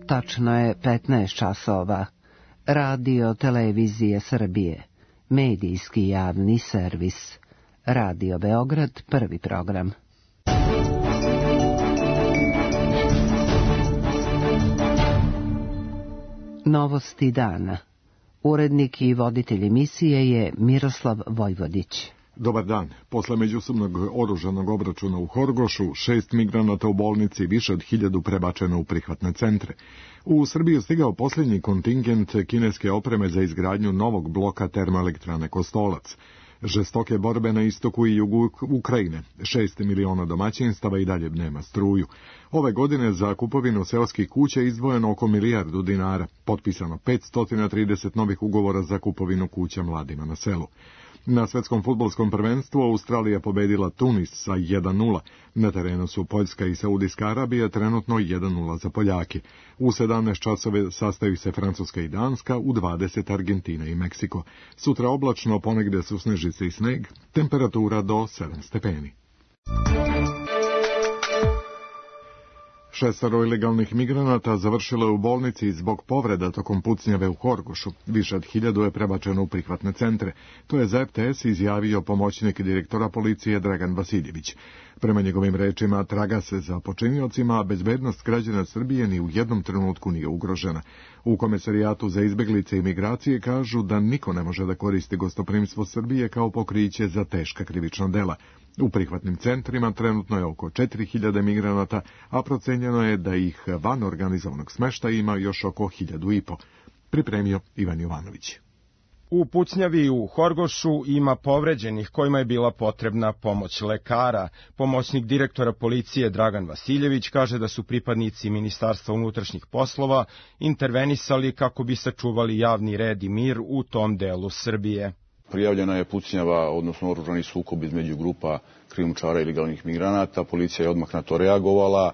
Tačno je 15 časova. Radio Televizije Srbije. Medijski javni servis. Radio Beograd, prvi program. Novosti dana. Urednik i voditelj emisije je Miroslav Vojvodić. Dobar dan. Posle međusobnog oružanog obračuna u Horgošu, 6 migranata u bolnici, više od 1000 prebačeno u prihvatne centre. U Srbiju stigao posljednji kontingent kineske opreme za izgradnju novog bloka termoelektrane Kostolac. Žestoke borbe na istoku i jugu Ukrajine. 6 miliona domaćinstava i dalje nema struju. Ove godine za kupovinu seoskih kuća izdvojeno oko 1 milijardu dinara. Potpisano 530 novih ugovora za kupovinu kuća mladima na selu. Na svetskom fudbalskom prvenstvu Australija pobedila Tunis sa 1:0. Na terenu su Poljska i Saudijska Arabija, trenutno 1:0 za Poljake. U 17 časove sastaju se Francuska i Danska, u 20 Argentina i Meksiko. Sutra oblačno, ponegde su snežice i sneg, temperatura do 7 stepeni. 6 ilegalnih migranata završilo je u bolnici zbog povreda tokom pucnjave u Horgošu. Više od 1000 je prebačeno u prihvatne centre. To je za RTS izjavio pomoćnik direktora policije Dragan Vasiljević. Prema njegovim rečima, traga se za počiniocima, a bezbednost građana Srbije ni u jednom trenutku nije ugrožena. U Komesarijatu za izbeglice i migracije kažu da niko ne može da koristi gostoprimstvo Srbije kao pokriće za teška krivična dela. U prihvatnim centrima trenutno je oko 4000 migranata, a procenjeno je da ih van organizovanog smeštaja ima još oko 1500. Pripremio Ivan Jovanović. U pucnjavi u Horgošu ima povređenih kojima je bila potrebna pomoć lekara. Pomoćnik direktora policije Dragan Vasiljević kaže da su pripadnici Ministarstva unutrašnjih poslova intervenisali kako bi sačuvali javni red i mir u tom delu Srbije. Prijavljena je pucnjava, odnosno oružani sukob između grupa krijumčara i ilegalnih migranata. Policija je odmah na to reagovala.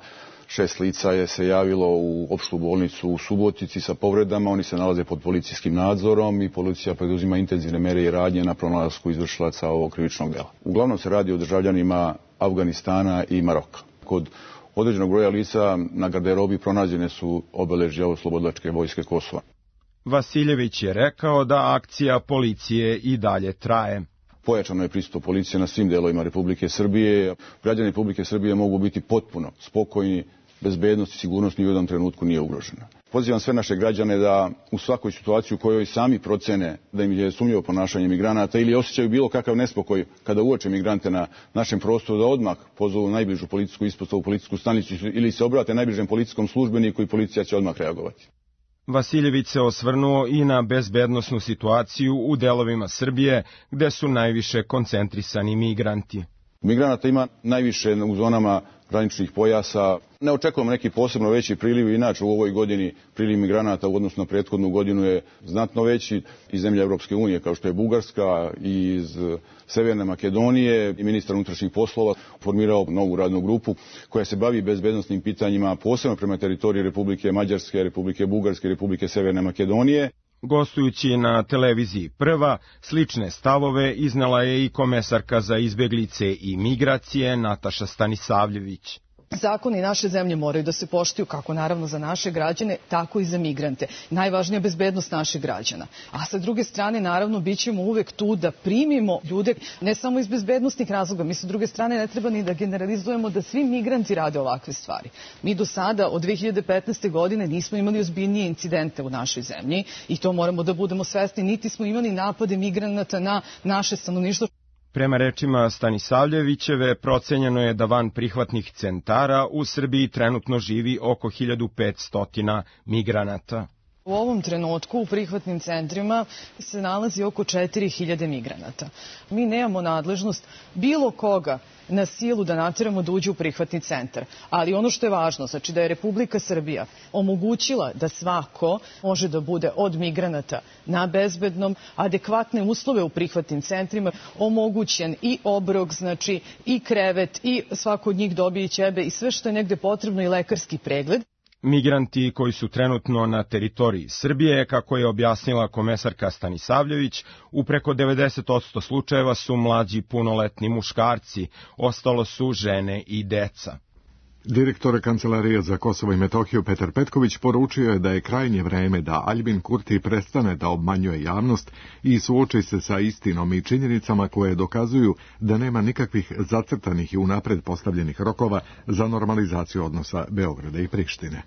6 lica je se javilo u opštu bolnicu u Subotici sa povredama. Oni se nalaze pod policijskim nadzorom i policija preduzima intenzivne mere i radnje na pronalasku izvršilaca ovog krivičnog dela. Uglavnom se radi o državljanima Afganistana i Maroka. Kod određenog broja lica na garderobi pronađene su obeležja Oslobodilačke vojske Kosova. Vasiljević je rekao da akcija policije i dalje traje. Pojačano je prisustvo policije na svim delovima Republike Srbije. Građani Republike Srbije mogu biti potpuno spokojni, bezbednost i sigurnost ni u jednom trenutku nije ugrožena. Pozivam sve naše građane da u svakoj situaciji u kojoj sami procene da im je sumnjivo ponašanje migranata ili osjećaju bilo kakav nespokoj kada uoče migrante na našem prostoru, da odmah pozovu najbližu policijsku ispostavu, policijsku stanicu ili se obrate najbližem policijskom službeniku i policija će odmah reagovati. Vasiljević se osvrnuo i na bezbednosnu situaciju u delovima Srbije gde su najviše koncentrisani migranti. Migranata ima najviše u zonama graničnih pojasa. Ne očekujemo neki posebno veći priliv, inače u ovoj godini priliv migranata u odnosu na prethodnu godinu je znatno veći iz zemlje Europske unije, kao što je Bugarska, i iz Severne Makedonije. I ministar unutrašnjih poslova formirao novu radnu grupu koja se bavi bezbednosnim pitanjima, posebno prema teritoriji Republike Mađarske, Republike Bugarske i Republike Severne Makedonije. Gostujući na televiziji Prva, slične stavove iznala je i komesarka za izbeglice i migracije Nataša Stanisavljević. Zakoni naše zemlje moraju da se poštuju kako naravno za naše građane, tako i za migrante. Najvažnija je bezbednost naših građana. A sa druge strane, naravno, bit ćemo uvek tu da primimo ljude, ne samo iz bezbednostnih razloga. Mi sa druge strane ne treba ni da generalizujemo da svi migranti rade ovakve stvari. Mi do sada, od 2015. godine, nismo imali ozbiljnije incidente u našoj zemlji i to moramo da budemo svesni. Niti smo imali napade migranata na naše stanovništvo. Prema rečima Stanisavljevićeve, procenjeno je da van prihvatnih centara u Srbiji trenutno živi oko 1500 migranata. U ovom trenutku u prihvatnim centrima se nalazi oko 4000 migranata. Mi nemamo nadležnost bilo koga na silu da nateramo da uđe u prihvatni centar. Ali ono što je važno, znači da je Republika Srbija omogućila da svako može da bude od migranata na bezbednom, adekvatne uslove u prihvatnim centrima, omogućen i obrok, znači i krevet, i svako od njih dobije i ćebe i sve što je negde potrebno i lekarski pregled. Migranti koji su trenutno na teritoriji Srbije, kako je objasnila komesarka Stanisavljević, u preko 90% slučajeva su mlađi punoletni muškarci, ostalo su žene i deca. Direktor Kancelarije za Kosovo i Metohiju Petar Petković poručio je da je krajnje vreme da Aljbin Kurti prestane da obmanjuje javnost i suoči se sa istinom i činjenicama koje dokazuju da nema nikakvih zacrtanih i unapred postavljenih rokova za normalizaciju odnosa Beograda i Prištine.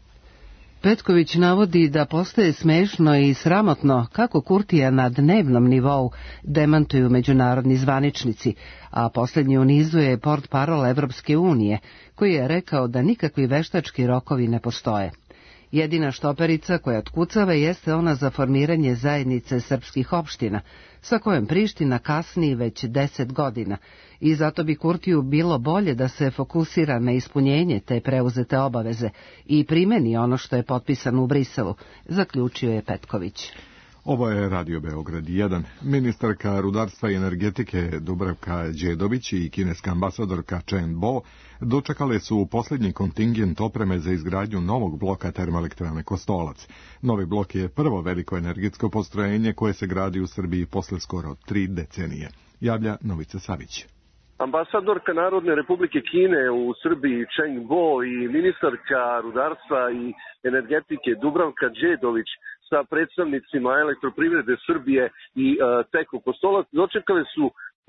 Petković navodi da postaje smešno i sramotno kako Kurtija na dnevnom nivou demantuju međunarodni zvaničnici, a posljednji u nizu je portparol Evropske unije, koji je rekao da nikakvi veštački rokovi ne postoje. Jedina štoperica koja otkucava jeste ona za formiranje zajednice srpskih opština, sa kojom Priština kasni već 10 godina, i zato bi Kurtiju bilo bolje da se fokusira na ispunjenje te preuzete obaveze i primeni ono što je potpisano u Briselu, zaključio je Petković. Ovo je Radio Beograd 1. Ministarka rudarstva i energetike Dubravka Đedović i kineska ambasadorka Chen Bo dočekale su posljednji kontingent opreme za izgradnju novog bloka termoelektrane Kostolac. Novi blok je prvo veliko energetsko postrojenje koje se gradi u Srbiji posle skoro 3 decenije. Javlja Novica Savić. Ambasadorka Narodne Republike Kine u Srbiji Chen Bo i ministarka rudarstva i energetike Dubravka Đedović sa predstavnicima Elektroprivrede Srbije i TEKO Kostolac dočekale su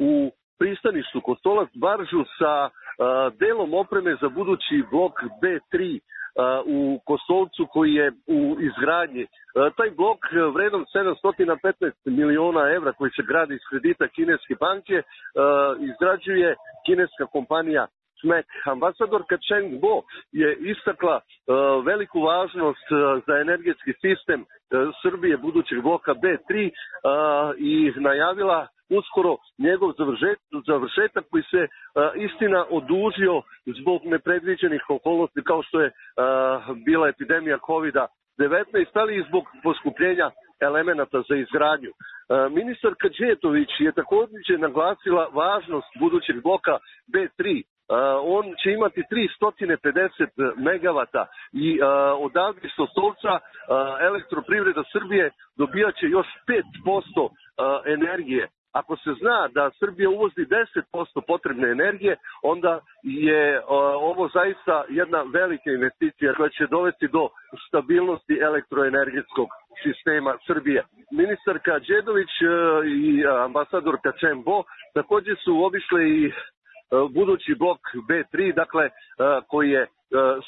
u pristaništu Kostolac baržu sa delom opreme za budući blok B3 u Kostolcu koji je u izgradnji. Taj blok vredan 715 miliona evra koji se gradi iz kredita kineske banke izgrađuje kineska kompanija SMEC. Ambasadorka Chen Bo je istakla veliku važnost za energetski sistem Srbije budućeg bloka B3 i najavila uskoro njegov završetak koji se istina odužio zbog nepredviđenih okolnosti kao što je bila epidemija COVID-19, ali i zbog poskupljenja elemenata za izgradnju. Ministarka Đetović je također naglasila važnost budućeg bloka B3. On će imati 350 megavata i odavde iz Kostolca Elektroprivreda Srbije dobijat će još 5% energije. Ako se zna da Srbija uvozi 10% potrebne energije, onda je ovo zaista jedna velika investicija koja će dovesti do stabilnosti elektroenergetskog sistema Srbije. Ministarka Đedović i ambasadorka Chen Bo također su obišle i budući blok B3, dakle, koji je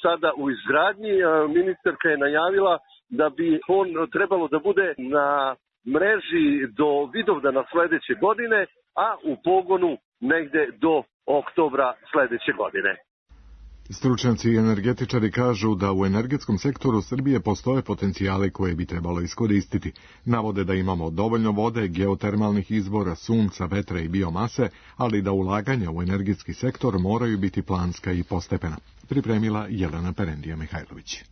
sada u izgradnji. Ministarka je najavila da bi on trebalo da bude na mreži do Vidovdana sledeće godine, a u pogonu negde do oktobra sledeće godine. Stručnjaci i energetičari kažu da u energetskom sektoru Srbije postoje potencijale koje bi trebalo iskoristiti. Navode da imamo dovoljno vode, geotermalnih izvora, sunca, vetra i biomase, ali da ulaganja u energetski sektor moraju biti planska i postepena. Pripremila Jelena Perendija-Mihajlović.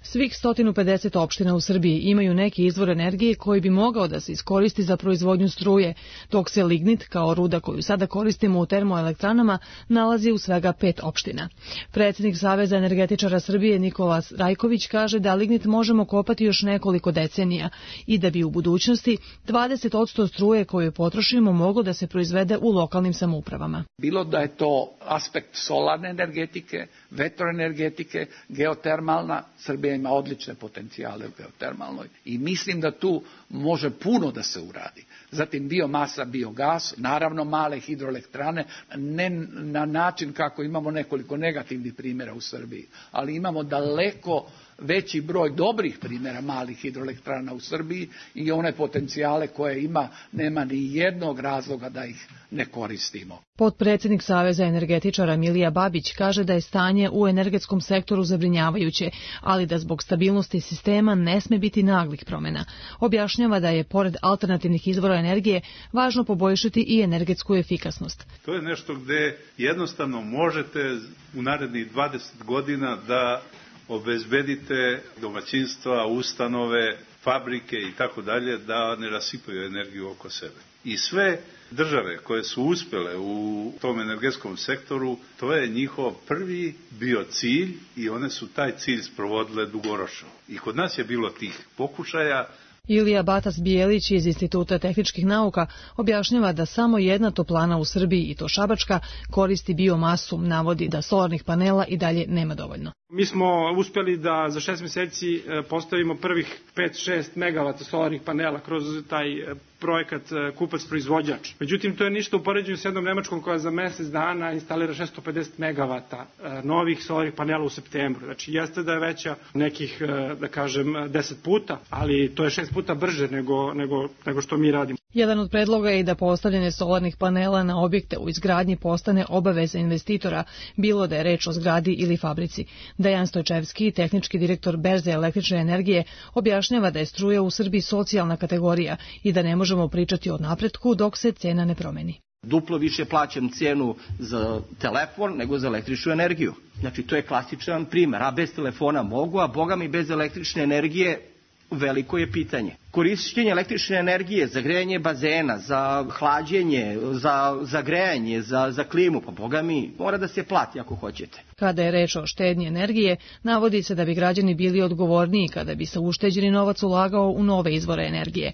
Svih 150 opština u Srbiji imaju neki izvor energije koji bi mogao da se iskoristi za proizvodnju struje, dok se lignit, kao ruda koju sada koristimo u termoelektranama, nalazi u svega 5 opština. Predsjednik Saveza energetičara Srbije Nikola Rajković kaže da lignit možemo kopati još nekoliko decenija i da bi u budućnosti 20% struje koju potrošimo moglo da se proizvede u lokalnim samoupravama. Bilo da je to aspekt solarne energetike, vetroenergetike, geotermalna, Srbija ima odlične potencijale u geotermalnoj i mislim da tu može puno da se uradi. Zatim biomasa, biogas, naravno male hidroelektrane, ne na način kako imamo nekoliko negativnih primjera u Srbiji, ali imamo daleko veći broj dobrih primjera malih hidroelektrana u Srbiji i one potencijale koje ima, nema ni jednog razloga da ih ne koristimo. Potpredsjednik Saveza energetičara Milija Babić kaže da je stanje u energetskom sektoru zabrinjavajuće, ali da zbog stabilnosti sistema ne sme biti naglih promjena. Objašnjava da je, pored alternativnih izvora energije, važno poboljšati i energetsku efikasnost. To je nešto gde jednostavno možete u narednih 20 godina da obezbedite domaćinstva, ustanove, fabrike i tako dalje da ne rasipaju energiju oko sebe. I sve države koje su uspjele u tom energetskom sektoru, to je njihov prvi bio cilj i one su taj cilj sprovodile dugoročno. I kod nas je bilo tih pokušaja. Ilija Batas-Bijelić iz Instituta tehničkih nauka objašnjava da samo jedna toplana u Srbiji, i to šabačka, koristi biomasu, navodi da solarnih panela i dalje nema dovoljno. Mi smo uspeli da za 6 meseci postavimo prvih 5-6 megavata solarnih panela kroz taj projekat kupac-proizvođač. Međutim, to je ništa u poređenju s jednom Nemačkom koja za mesec dana instalira 650 megavata novih solarnih panela u septembru. Znači, jeste da je veća nekih, da kažem, 10 puta, ali to je 6 puta brže nego što mi radimo. Jedan od predloga je i da postavljanje solarnih panela na objekte u izgradnji postane obaveza investitora, bilo da je reč o zgradi ili fabrici. Dejan Stojčevski, tehnički direktor Berze električne energije, objašnjava da je struja u Srbiji socijalna kategorija i da ne možemo pričati o napretku dok se cena ne promeni. Duplo više plaćam cenu za telefon nego za električnu energiju. Znači, to je klasičan primer. A bez telefona mogu, a boga mi bez električne energije veliko je pitanje. Korišćenje električne energije za grejanje bazena, za hlađenje, za grejanje, za klimu, pa boga mi, mora da se plati ako hoćete. Kada je reč o štednji energije, navodi se da bi građani bili odgovorniji kada bi se ušteđeni novac ulagao u nove izvore energije.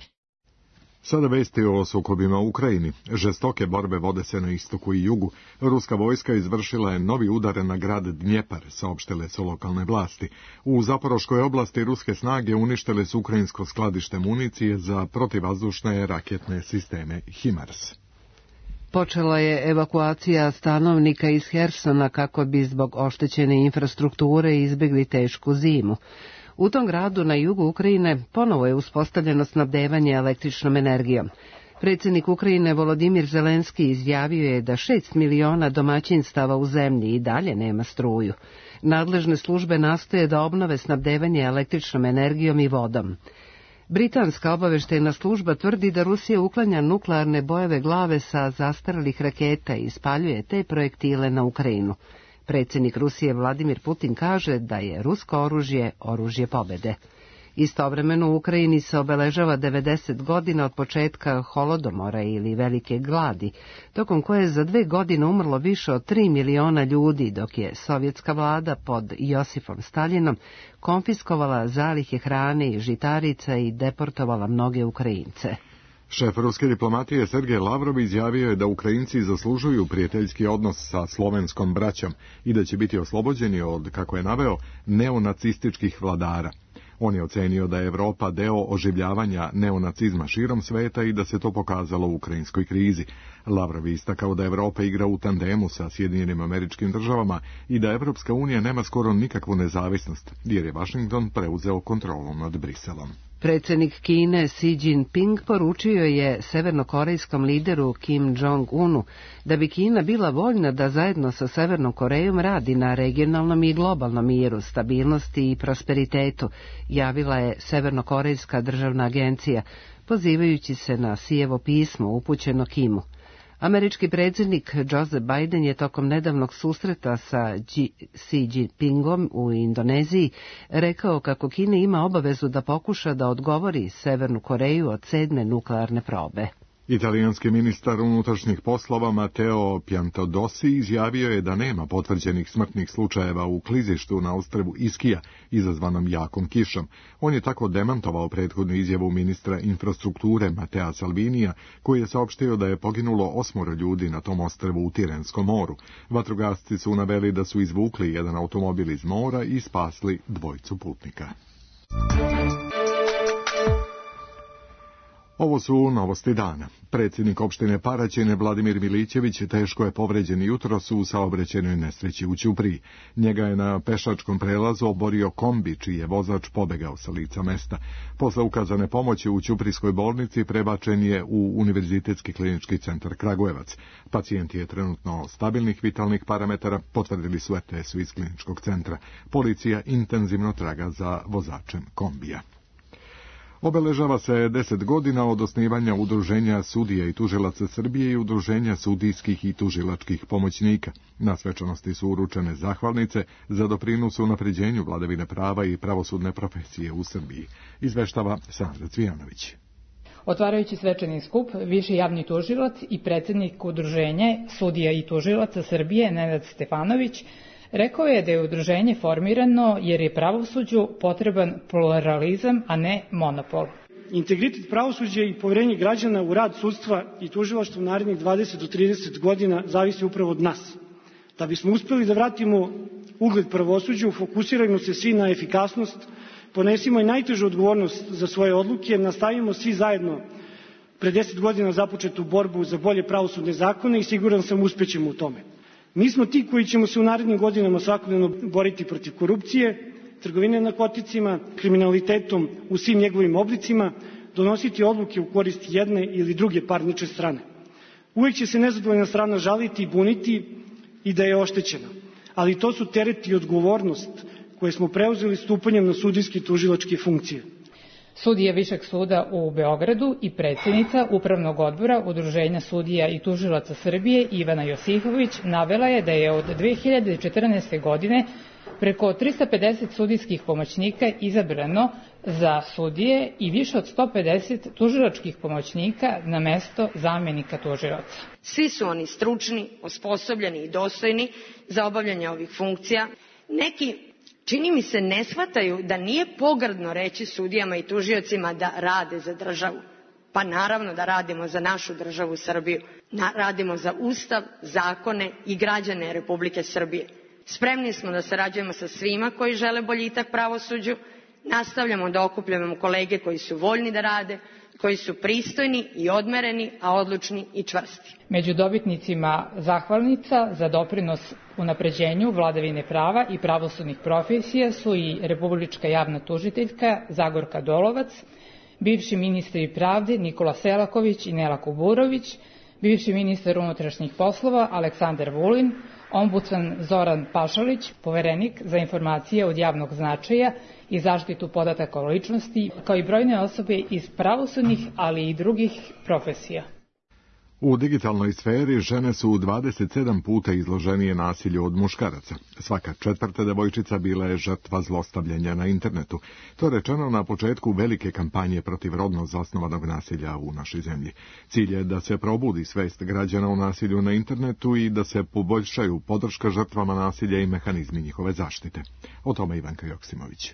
Sada vesti o sukobima u Ukrajini. Žestoke borbe vode se na istoku i jugu. Ruska vojska izvršila je novi udar na grad Dnjepar, saopštile su lokalne vlasti. U Zaporoškoj oblasti ruske snage uništile su ukrajinsko skladište municije za protivvazdušne raketne sisteme HIMARS. Počela je evakuacija stanovnika iz Hersona kako bi zbog oštećene infrastrukture izbjegli tešku zimu. U tom gradu na jugu Ukrajine ponovo je uspostavljeno snabdevanje električnom energijom. Predsjednik Ukrajine Volodimir Zelenski izjavio je da 6 miliona domaćinstava u zemlji i dalje nema struju. Nadležne službe nastoje da obnove snabdevanje električnom energijom i vodom. Britanska obavještajna služba tvrdi da Rusija uklanja nuklearne bojeve glave sa zastarelih raketa i ispaljuje te projektile na Ukrajinu. Predsjednik Rusije Vladimir Putin kaže da je rusko oružje oružje pobjede. Istovremeno u Ukrajini se obeležava 90 godina od početka holodomora ili velike gladi, tokom koje je za 2 godine umrlo više od 3 miliona ljudi, dok je sovjetska vlada pod Josifom Staljinom konfiskovala zalihe hrane i žitarica i deportovala mnoge Ukrajince. Šef ruske diplomatije Sergej Lavrov izjavio je da Ukrajinci zaslužuju prijateljski odnos sa slovenskom braćom i da će biti oslobođeni od, kako je naveo, neonacističkih vladara. On je ocenio da je Evropa deo oživljavanja neonacizma širom sveta i da se to pokazalo u ukrajinskoj krizi. Lavrov je istakao da Evropa igra u tandemu sa Sjedinjenim Američkim Državama i da Evropska unija nema skoro nikakvu nezavisnost, jer je Washington preuzeo kontrolu nad Briselom. Predsjednik Kine Xi Jinping poručio je severnokorejskom lideru Kim Jong-unu da bi Kina bila voljna da zajedno sa Severnom Korejom radi na regionalnom i globalnom miru, stabilnosti i prosperitetu, javila je Severnokorejska državna agencija, pozivajući se na Xijevo pismo upućeno Kimu. Američki predsjednik Joseph Biden je tokom nedavnog susreta sa Xi Jinpingom u Indoneziji rekao kako Kina ima obavezu da pokuša da odgovori Severnu Koreju od 7. nuklearne probe. Italijanski ministar unutrašnjih poslova Matteo Piantedosi izjavio je da nema potvrđenih smrtnih slučajeva u klizištu na ostrvu Ischia izazvanom jakom kišom. On je tako demantovao prethodnu izjavu ministra infrastrukture Mattea Salvinija, koji je saopštio da je poginulo 8 ljudi na tom ostrvu u Tirenskom moru. Vatrogasci su naveli da su izvukli jedan automobil iz mora i spasli 2 putnika. Ovo su novosti dana. Predsjednik opštine Paraćin Vladimir Milićević teško je povređen jutros u saobraćajnoj nesreći u Ćupriji. Njega je na pešačkom prelazu oborio kombi, čiji je vozač pobegao sa lica mesta. Posle ukazane pomoći u Ćuprijskoj bolnici prebačen je u Univerzitetski klinički centar Kragujevac. Pacijent je trenutno stabilnih vitalnih parametara, potvrdili su RTS-u iz kliničkog centra. Policija intenzivno traga za vozačem kombija. Obeležava se 10 godina od osnivanja Udruženja sudija i tužilaca Srbije i Udruženja sudijskih i tužilačkih pomoćnika. Na svečanosti su uručene zahvalnice za doprinos u unapređenju vladavine prava i pravosudne profesije u Srbiji. Izveštava Sandra Cvijanović. Otvarajući svečani skup, viši javni tužilac i predsjednik Udruženja sudija i tužilaca Srbije Nenad Stefanović rekao je da je udruženje formirano jer je pravosuđu potreban pluralizam, a ne monopol. Integritet pravosuđa i poverenje građana u rad sudstva i tužilaštva u narednih 20 do 30 godina zavisi upravo od nas. Da bismo uspeli da vratimo ugled pravosuđu, fokusirajmo se svi na efikasnost, ponesimo i najtežu odgovornost za svoje odluke, nastavimo svi zajedno pre 10 godina započetu borbu za bolje pravosudne zakone i siguran sam uspećemo u tome. Mi smo ti koji ćemo se u narednim godinama svakodnevno boriti protiv korupcije, trgovine narkoticima, kriminalitetom u svim njegovim oblicima, donositi odluke u korist jedne ili druge parnične strane. Uvijek će se nezadovoljna strana žaliti i buniti i da je oštećena, ali to su teret i odgovornost koje smo preuzeli stupanjem na sudijske i tužilačke funkcije. Sudija Višeg suda u Beogradu i predsjednica Upravnog odbora Udruženja sudija i tužilaca Srbije Ivana Josifović navela je da je od 2014. godine preko 350 sudijskih pomoćnika izabrano za sudije i više od 150 tužilačkih pomoćnika na mesto zamenika tužilaca. Svi su oni stručni, osposobljeni i dostojni za obavljanje ovih funkcija. Neki, čini mi se, ne shvataju da nije pogrdno reći sudijama i tužiocima da rade za državu. Pa naravno da radimo za našu državu Srbiju. Radimo za Ustav, zakone i građane Republike Srbije. Spremni smo da sarađujemo sa svima koji žele boljitak pravosuđu. Nastavljamo da okupljamo kolege koji su voljni da rade, koji su pristojni i odmereni, a odlučni i čvrsti. Među dobitnicima zahvalnica za doprinos unapređenju vladavine prava i pravosudnih profesija su i republička javna tužiteljka Zagorka Dolovac, bivši ministri pravde Nikola Selaković i Nela Kuburović, bivši ministar unutrašnjih poslova Aleksandar Vulin, ombudsman Zoran Pašalić, poverenik za informacije od javnog značaja i zaštitu podataka o ličnosti, kao i brojne osobe iz pravosudnih, ali i drugih profesija. U digitalnoj sferi žene su 27 puta izloženije nasilju od muškaraca. Svaka četvrta devojčica bila je žrtva zlostavljanja na internetu. To je rečeno na početku velike kampanje protiv rodno zasnovanog nasilja u našoj zemlji. Cilj je da se probudi svest građana o nasilju na internetu i da se poboljšaju podrška žrtvama nasilja i mehanizmi njihove zaštite. O tome Ivanka Joksimović.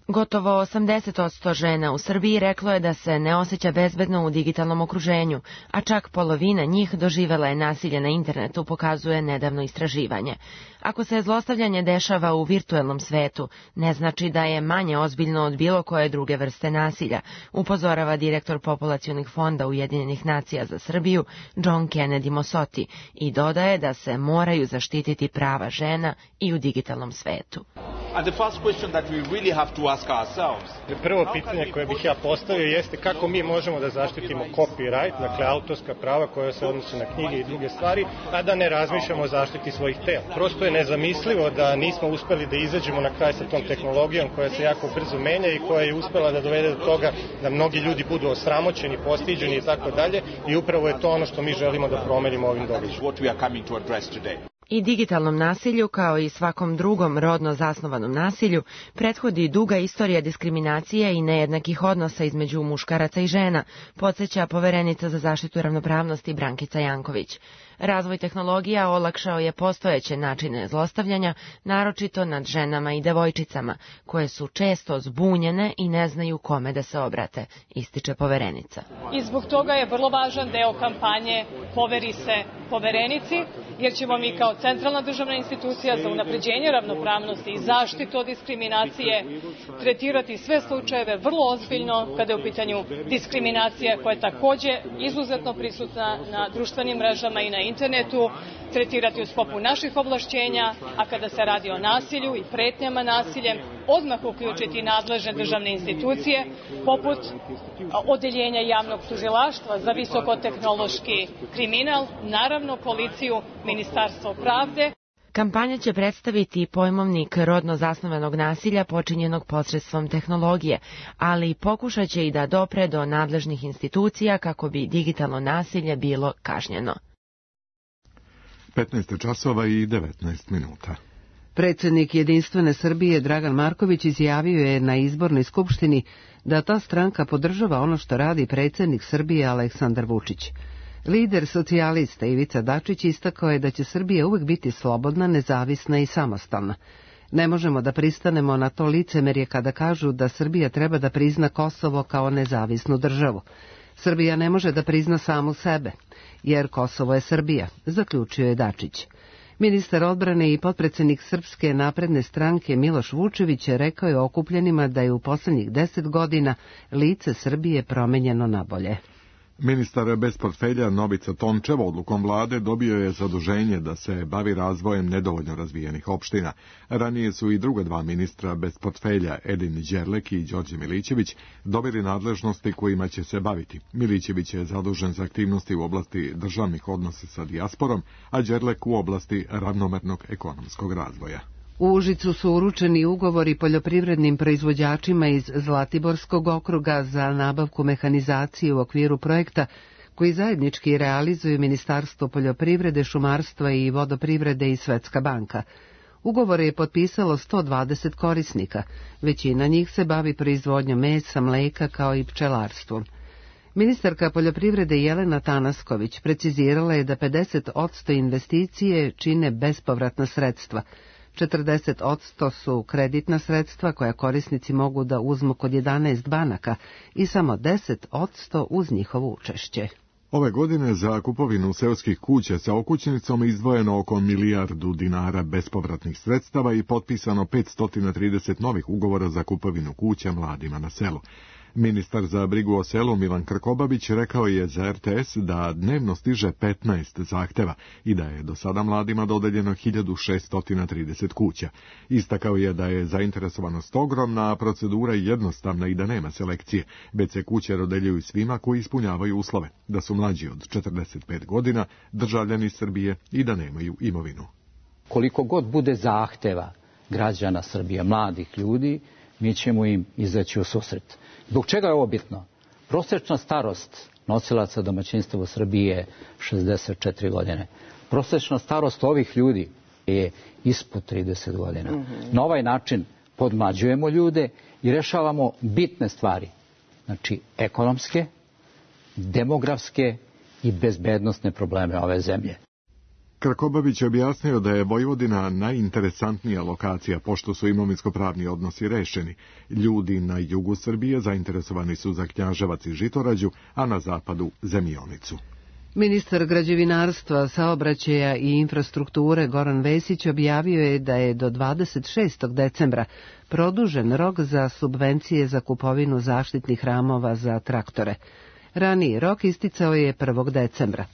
Gotovo 80% žena u Srbiji reklo je da se ne osjeća bezbedno u digitalnom okruženju, a čak polovina njih doživela je nasilje na internetu, pokazuje nedavno istraživanje. Ako se zlostavljanje dešava u virtuelnom svetu, ne znači da je manje ozbiljno od bilo koje druge vrste nasilja, upozorava direktor Populacionih fonda Ujedinjenih nacija za Srbiju John Kennedy Mosoti i dodaje da se moraju zaštititi prava žena i u digitalnom svetu. Prvo pitanje koje bih ja postavio jeste kako mi možemo da zaštitimo copyright, dakle autorska prava koja se odnose na knjige i druge stvari, a da ne razmišljamo o zaštiti svojih tela. Prosto je nezamislivo da nismo uspeli da izađemo na kraj sa tom tehnologijom koja se jako brzo menja i koja je uspela da dovede do toga da mnogi ljudi budu osramoćeni, postiđeni i tako dalje, i upravo je to ono što mi želimo da promenimo ovim događajem. I digitalnom nasilju, kao i svakom drugom rodno zasnovanom nasilju, prethodi duga istorija diskriminacije i nejednakih odnosa između muškaraca i žena, podsjeća poverenica za zaštitu ravnopravnosti Brankica Janković. Razvoj tehnologija olakšao je postojeće načine zlostavljanja, naročito nad ženama i devojčicama, koje su često zbunjene i ne znaju kome da se obrate, ističe poverenica. I zbog toga je vrlo važan deo kampanje Poveri se poverenici, jer ćemo mi kao centralna državna institucija za unapređenje ravnopravnosti i zaštitu od diskriminacije tretirati sve slučajeve vrlo ozbiljno kada je u pitanju diskriminacija koja je takođe izuzetno prisutna na društvenim mrežama i na internetu, tretirati u sklopu naših ovlašćenja, a kada se radi o nasilju i pretnjama nasiljem, odmah uključiti nadležne državne institucije, poput Odeljenja javnog tužilaštva za visokotehnološki kriminal, naravno policiju, Ministarstvo pravde. Kampanja će predstaviti pojmovnik rodno zasnovanog nasilja počinjenog posredstvom tehnologije, ali pokušat će i da dopre do nadležnih institucija kako bi digitalno nasilje bilo kažnjeno. 15 časova i 19 minuta. Predsjednik Jedinstvene Srbije Dragan Marković izjavio je na izbornoj skupštini da ta stranka podržava ono što radi predsjednik Srbije Aleksandar Vučić. Lider socijalista Ivica Dačić istakao je da će Srbija uvek biti slobodna, nezavisna i samostalna. Ne možemo da pristanemo na to licemerje kada kažu da Srbija treba da prizna Kosovo kao nezavisnu državu. Srbija ne može da prizna samu sebe, jer Kosovo je Srbija, zaključio je Dačić. Ministar odbrane i potpredsednik Srpske napredne stranke Miloš Vučević rekao je okupljenima da je u poslednjih 10 godina lice Srbije promenjeno na bolje. Ministar bez portfelja Novica Tončev odlukom vlade dobio je zaduženje da se bavi razvojem nedovoljno razvijenih opština. Ranije su i druga dva ministra bez portfelja, Edin Đerlek i Đorđe Milićević, dobili nadležnosti kojima će se baviti. Milićević je zadužen za aktivnosti u oblasti državnih odnosa sa dijasporom, a Đerlek u oblasti ravnomernog ekonomskog razvoja. U Užicu su uručeni ugovori poljoprivrednim proizvođačima iz Zlatiborskog okruga za nabavku mehanizacije u okviru projekta koji zajednički realizuju Ministarstvo poljoprivrede, šumarstva i vodoprivrede i Svetska banka. Ugovore je potpisalo 120 korisnika, većina njih se bavi proizvodnjom mesa, mleka kao i pčelarstvom. Ministarka poljoprivrede Jelena Tanasković precizirala je da 50% investicije čine bespovratna sredstva, 40% su kreditna sredstva koja korisnici mogu da uzmu kod 11 banaka i samo 10% uz njihovo učešće. Ove godine za kupovinu seoskih kuća sa okućnicom izdvojeno oko milijardu dinara bespovratnih sredstava i potpisano 530 novih ugovora za kupovinu kuća mladima na selu. Ministar za brigu o selu Milan Krkobabić rekao je za RTS da dnevno stiže 15 zahteva i da je do sada mladima dodeljeno 1630 kuća. Istakao je da je zainteresovanost ogromna, a procedura jednostavna i da nema selekcije, već se kuće dodeljuju svima koji ispunjavaju uslove, da su mlađi od 45 godina, državljani Srbije i da nemaju imovinu. Koliko god bude zahteva građana Srbije, mladih ljudi, mi ćemo im izaći u susret. Zbog čega je ovo bitno? Prosečna starost nosilaca domaćinstva u Srbiji je 64 godine. Prosečna starost ovih ljudi je ispod 30 godina. Na ovaj način podmlađujemo ljude i rešavamo bitne stvari. Znači, ekonomske, demografske i bezbednosne probleme ove zemlje. Krkobabić je objasnio da je Vojvodina najinteresantnija lokacija, pošto su imovinsko-pravni odnosi rešeni. Ljudi na jugu Srbije zainteresovani su za Knjaževac i Žitorađu, a na zapadu za Mionicu. Ministar građevinarstva, saobraćaja i infrastrukture Goran Vesić objavio je da je do 26. decembra produžen rok za subvencije za kupovinu zaštitnih ramova za traktore. Raniji rok isticao je 1. decembra.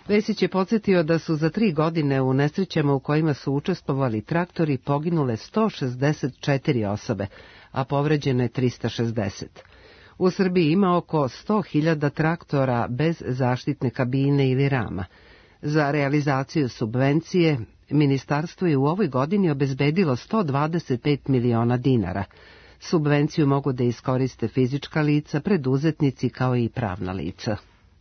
Vesić je podsjetio da su za 3 godine u nesrećama u kojima su učestvovali traktori poginule 164 osobe, a povređene 360. U Srbiji ima oko 100.000 traktora bez zaštitne kabine ili rama. Za realizaciju subvencije ministarstvo je u ovoj godini obezbedilo 125 miliona dinara. Subvenciju mogu da iskoriste fizička lica, preduzetnici kao i pravna lica.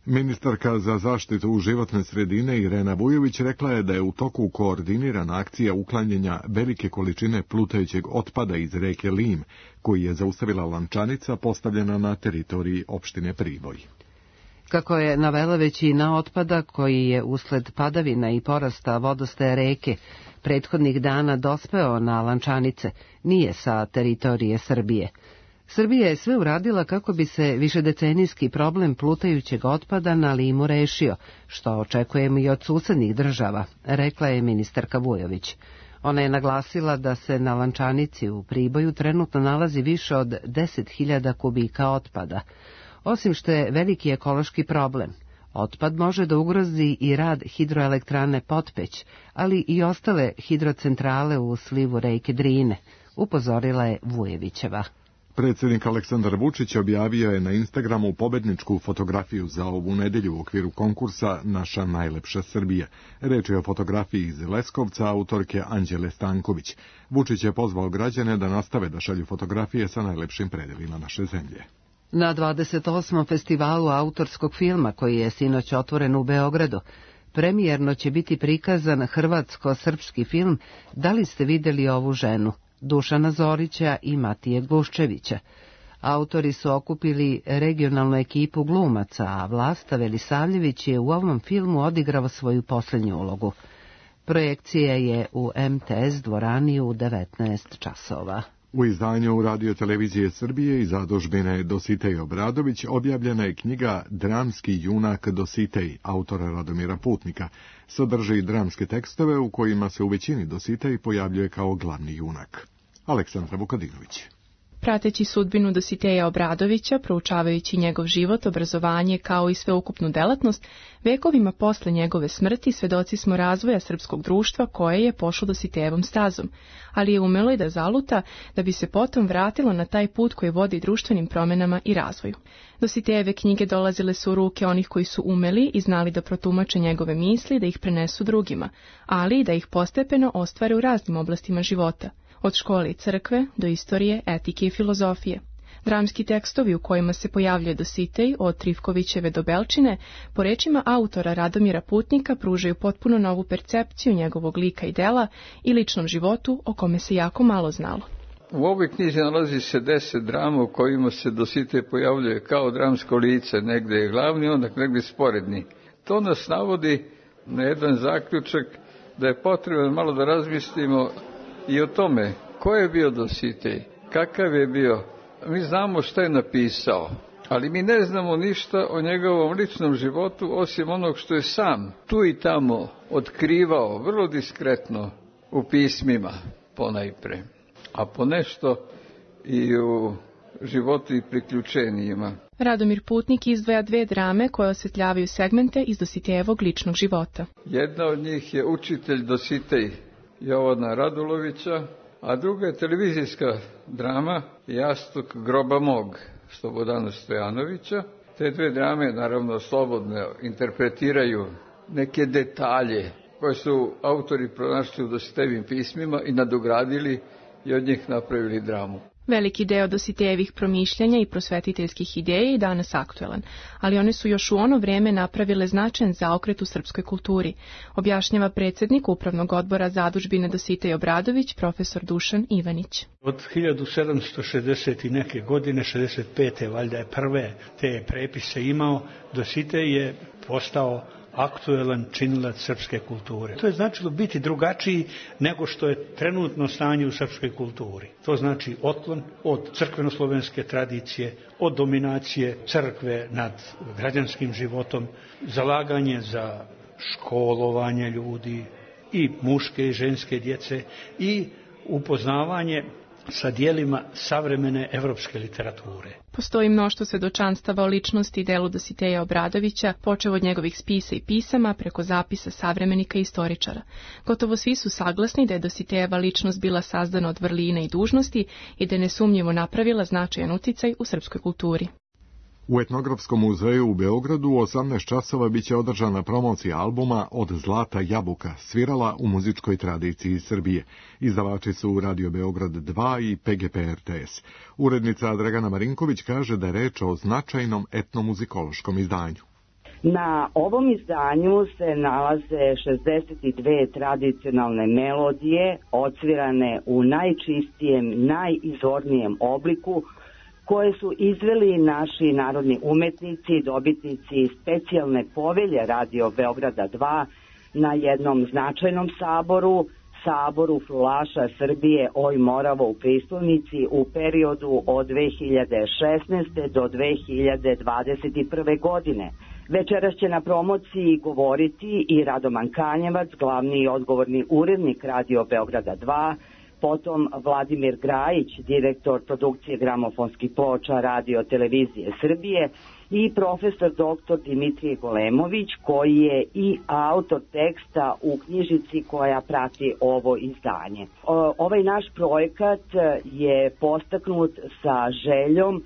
Ministarka za zaštitu životne sredine Irena Vujović rekla je da je u toku koordinirana akcija uklanjanja velike količine plutajućeg otpada iz reke Lim, koji je zaustavila lančanica postavljena na teritoriji opštine Priboj. Kako je navela, većina otpada koji je usled padavina i porasta vodostaja reke prethodnih dana dospeo na lančanice, nije sa teritorije Srbije. Srbija je sve uradila kako bi se višedecenijski problem plutajućeg otpada na Limu rešio, što očekujemo i od susednih država, rekla je ministarka Vujović. Ona je naglasila da se na lančanici u Priboju trenutno nalazi više od 10.000 kubika otpada. Osim što je veliki ekološki problem, otpad može da ugrozi i rad hidroelektrane Potpeć, ali i ostale hidrocentrale u slivu reke Drine, upozorila je Vujevićeva. Predsjednik Aleksandar Vučić objavio je na Instagramu pobedničku fotografiju za ovu nedelju u okviru konkursa Naša najlepša Srbija. Reč je o fotografiji iz Leskovca autorke Anđele Stanković. Vučić je pozvao građane da nastave da šalju fotografije sa najlepšim predelima naše zemlje. Na 28. festivalu autorskog filma, koji je sinoć otvoren u Beogradu, premijerno će biti prikazan hrvatsko-srpski film Da li ste videli ovu ženu? Dušana Zorića i Matije Gluščevića. Autori su okupili regionalnu ekipu glumaca, a Vlasta Velisavljević je u ovom filmu odigrao svoju posljednju ulogu. Projekcija je u MTS dvorani u 19 časova. U izdanju Radio televizije Srbije i zadužbine Dositej Obradović objavljena je knjiga Dramski junak Dositej, autora Radomira Putnika. Sadrži dramske tekstove u kojima se u većini Dositej pojavljuje kao glavni junak. Aleksandra Vukadinović. Prateći sudbinu Dositeja Obradovića, proučavajući njegov život, obrazovanje kao i sveukupnu delatnost, vekovima posle njegove smrti svedoci smo razvoja srpskog društva koje je pošlo Dositejevom stazom, ali je umelo i da zaluta da bi se potom vratilo na taj put koji vodi društvenim promenama i razvoju. Dositejeve knjige dolazile su u ruke onih koji su umeli i znali da protumače njegove misli, da ih prenesu drugima, ali i da ih postepeno ostvare u raznim oblastima života. Od škole i crkve do istorije, etike i filozofije. Dramski tekstovi u kojima se pojavljuje Dositej, od Trifkovićeve do Belčine, po rečima autora Radomira Putnika pružaju potpuno novu percepciju njegovog lika i dela i ličnom životu o kome se jako malo znalo. U ovoj knjizi nalazi se 10 drama u kojima se Dositej pojavljuje kao dramsko lice, negde je glavni, onda negde sporedni. To nas navodi na jedan zaključak da je potrebno malo da razmislimo i o tome ko je bio Dositej, kakav je bio. Mi znamo šta je napisao, ali mi ne znamo ništa o njegovom ličnom životu, osim onog što je sam tu i tamo otkrivao, vrlo diskretno u pismima ponajpre, a ponešto i u životu i priključenjima. Radomir Putnik izdvaja 2 drame koje osvetljavaju segmente iz Dositejevog ličnog života. Jedna od njih je Učitelj Dositej Jovana Radulovića, a druga je televizijska drama Jastuk groba mog Slobodana Stojanovića. Te 2 drame naravno slobodno interpretiraju neke detalje koje su autori pronašli u Dositejevim pismima i nadogradili i od njih napravili dramu. Veliki deo Dositejevih promišljanja i prosvetiteljskih ideja je i danas aktuelan, ali one su još u ono vreme napravile značajan zaokret u srpskoj kulturi, objašnjava predsjednik Upravnog odbora zadužbine Dositej Obradović, profesor Dušan Ivanić. Od 1760 i neke godine, 65. valjda je prve te prepise imao, Dositej je postao aktuelan činilac srpske kulture. To je značilo biti drugačiji nego što je trenutno stanje u srpskoj kulturi. To znači otklon od crkveno-slovenske tradicije, od dominacije crkve nad građanskim životom, zalaganje za školovanje ljudi i muške i ženske djece i upoznavanje sa dijelima savremene evropske literature. Postoji mnoštvo svedočanstava o ličnosti i delu Dositeja Obradovića, počev od njegovih spisa i pisama preko zapisa savremenika i istoričara. Gotovo svi su saglasni da je Dositejeva ličnost bila sazdana od vrlina i dužnosti i da je nesumnjivo napravila značajan uticaj u srpskoj kulturi. U Etnografskom muzeju u Beogradu u 18 časova biće održana promocija albuma Od zlata jabuka, svirala u muzičkoj tradiciji Srbije. Izdavači su Radio Beograd 2 i PGP RTS. Urednica Dragana Marinković kaže da je reč o značajnom etnomuzikološkom izdanju. Na ovom izdanju se nalaze 62 tradicionalne melodije, odsvirane u najčistijem, najizvornijem obliku, koje su izveli naši narodni umetnici, dobitnici specijalne povelje Radio Beograda 2 na jednom značajnom saboru, Saboru frulaša Srbije Oj Moravo u Pristolnici u periodu od 2016. do 2021. godine. Večeras će na promociji govoriti i Radoman Kanjevac, glavni i odgovorni urednik Radio Beograda 2, potom Vladimir Grajić, direktor produkcije gramofonskih ploča Radio televizije Srbije i profesor dr. Dimitrije Golemović, koji je i autor teksta u knjižici koja prati ovo izdanje. Ovaj naš projekat je postaknut sa željom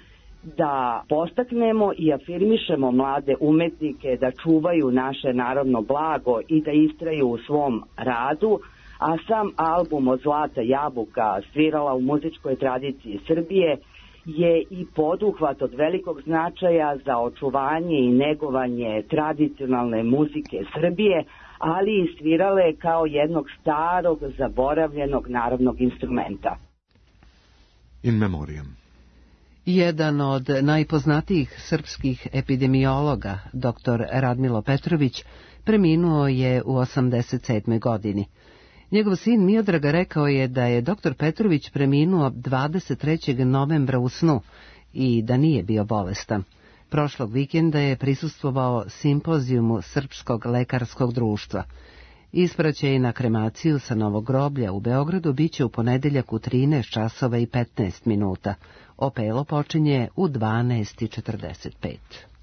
da postaknemo i afirmišemo mlade umetnike da čuvaju naše narodno blago i da istraju u svom radu, a sam album Od zlata jabuka, svirala u muzičkoj tradiciji Srbije, je i poduhvat od velikog značaja za očuvanje i negovanje tradicionalne muzike Srbije, ali i svirale kao jednog starog, zaboravljenog narodnog instrumenta. In memoriam. Jedan od najpoznatijih srpskih epidemiologa, dr. Radmilo Petrović, preminuo je u 87. godini. Njegov sin Miodraga rekao je da je dr. Petrović preminuo 23. novembra u snu i da nije bio bolestan. Prošlog vikenda je prisustvovao simpozijumu Srpskog lekarskog društva. Ispraćaj na kremaciju sa Novog groblja u Beogradu biće u ponedeljak u 13 časova i 15 minuta. Opelo počinje u 12:45.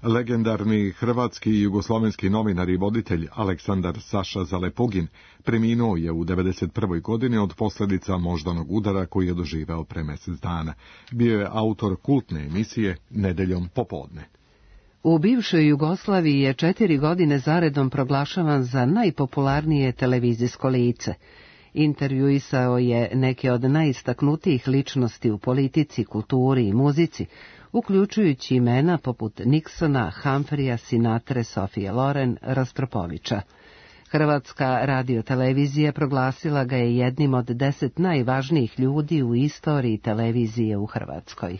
Legendarni hrvatski i jugoslovenski novinar i voditelj Aleksandar Saša Zalepugin preminuo je u 91. godini od posljedica moždanog udara koji je doživeo pre mjesec dana. Bio je autor kultne emisije Nedeljom popodne. U bivšoj Jugoslaviji je 4 godine zaredom proglašavan za najpopularnije televizijsko lice. Intervjuisao je neke od najistaknutijih ličnosti u politici, kulturi i muzici, uključujući imena poput Nixona, Humphreya, Sinatre, Sofije Loren, Rostropovića. Hrvatska radiotelevizija proglasila ga je jednim od 10 najvažnijih ljudi u istoriji televizije u Hrvatskoj.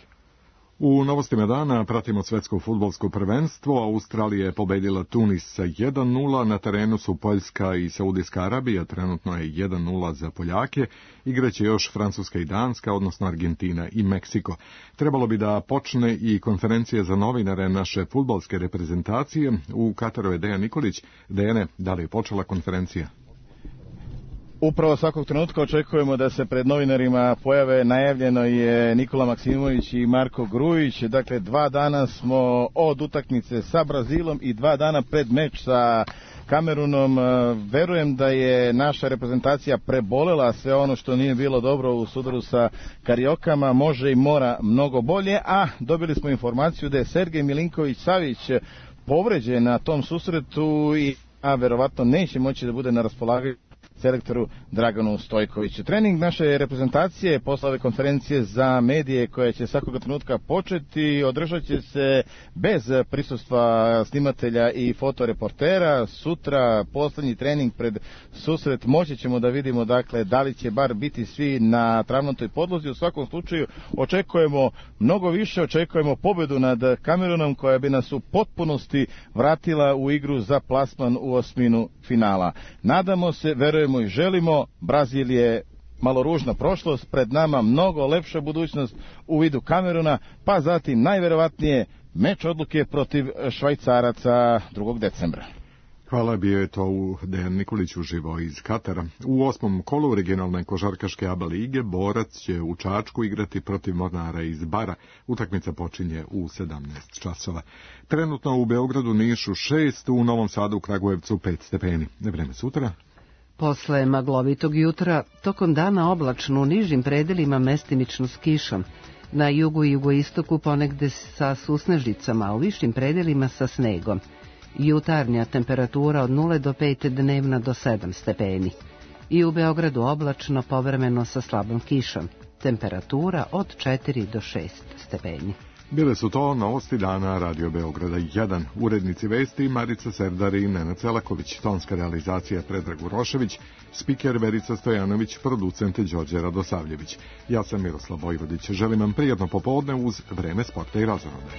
U novostima dana pratimo svetsko fudbalsko prvenstvo. Australija je pobedila Tunis sa 1:0, na terenu su Poljska i Saudijska Arabija, trenutno je 1:0 za Poljake, igraće još Francuska i Danska, odnosno Argentina i Meksiko. Trebalo bi da počne i konferencija za novinare naše fudbalske reprezentacije. U Kataru je Dejan Nikolić. Dejane, da li je počela konferencija? Upravo svakog trenutka očekujemo da se pred novinarima pojave. Najavljeno je Nikola Maksimović i Marko Grujić. Dakle, 2 dana smo od utakmice sa Brazilom i 2 dana pred meč sa Kamerunom. Verujem da je naša reprezentacija prebolela sve ono što nije bilo dobro u sudaru sa Kariokama. Može i mora mnogo bolje, a dobili smo informaciju da je Sergej Milinković-Savić povređen na tom susretu i verovatno neće moći da bude na raspolaganju selektoru Draganu Stojkoviću. Trening naše reprezentacije posle ove konferencije za medije koja će svakoga trenutka početi održat će se bez prisustva snimatelja i fotoreportera. Sutra poslednji trening pred susret, moći ćemo da vidimo dakle da li će bar biti svi na travnatoj podlozi. U svakom slučaju očekujemo mnogo više, očekujemo pobedu nad Kamerunom koja bi nas u potpunosti vratila u igru za plasman u osminu finala. Nadamo se, verujemo i želimo. Brazil je malo ružna prošlost, pred nama mnogo lepša budućnost u vidu Kameruna, pa zatim najverovatnije meč odluke protiv Švajcaraca 2. decembra. Hvala, bio je to Dejan Nikolić uživo iz Katara. U 8. kolu regionalne košarkaške ABA lige Borac će u Čačku igrati protiv Mornara iz Bara. Utakmica počinje u 17 časova. Trenutno u Beogradu, Nišu 6, u Novom Sadu, u Kragujevcu 5 stepeni. Vreme sutra. Posle maglovitog jutra, tokom dana oblačno, u nižim predelima mestimično s kišom. Na jugu i jugoistoku ponegde sa susnežicama, a u višim predelima sa snegom. Jutarnja temperatura od 0 do 5, dnevna do 7 stepeni. I u Beogradu oblačno, povremeno sa slabom kišom. Temperatura od 4 do 6 stepeni. Bile su to novosti dana Radio Beograda 1. Urednici vesti Marica Serdar i Nenad Celaković, tonska realizacija Predrag Urošević, spiker Verica Stojanović, producent Đorđe Radosavljević. Ja sam Miroslav Vojvodić. Želim vam prijatno popodne uz Vreme sporta i razonode.